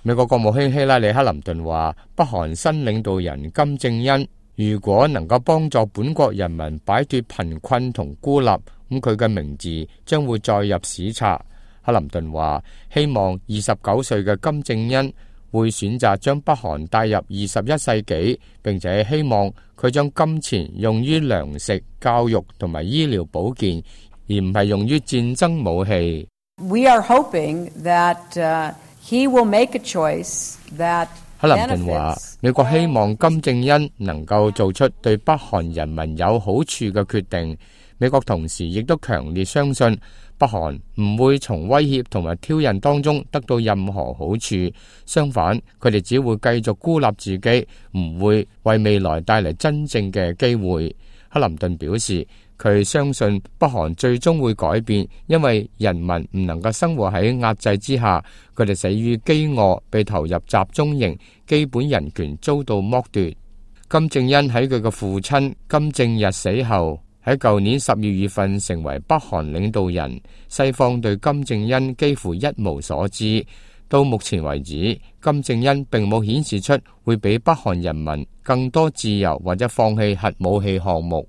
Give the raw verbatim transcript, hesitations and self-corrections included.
美國國務卿希拉里克林頓話，北韓新領導人金正恩如果能夠幫助本國人民擺脫貧困同孤立，咁佢嘅名字將會載入史冊。克林頓話，希望二十九歲嘅金正恩會選擇將北韓帶入二十一世紀，並且希望佢將金錢用於糧食、教育同埋醫療保健，而唔係用於戰爭武器。We are hoping that, uh, he will make a choice that 克林頓話，美國希望金正恩能夠做出對北韓人民有好處嘅決定。美國同時亦都強烈相信北韓唔會從威脅同埋挑釁當中得到任何好處，相反，佢哋只會繼續孤立自己，唔會為未來帶嚟真正嘅機會。克林頓表示，佢相信北韓最終會改變，因為人民唔能夠生活喺壓制之下，佢哋死於飢餓，被投入集中營，基本人權遭到剝奪。金正恩喺佢嘅父親金正日死後，喺舊年十二月份成為北韓領導人，西方對金正恩幾乎一無所知。到目前為止，金正恩並冇顯示出會俾北韓人民更多自由或者放棄核武器項目。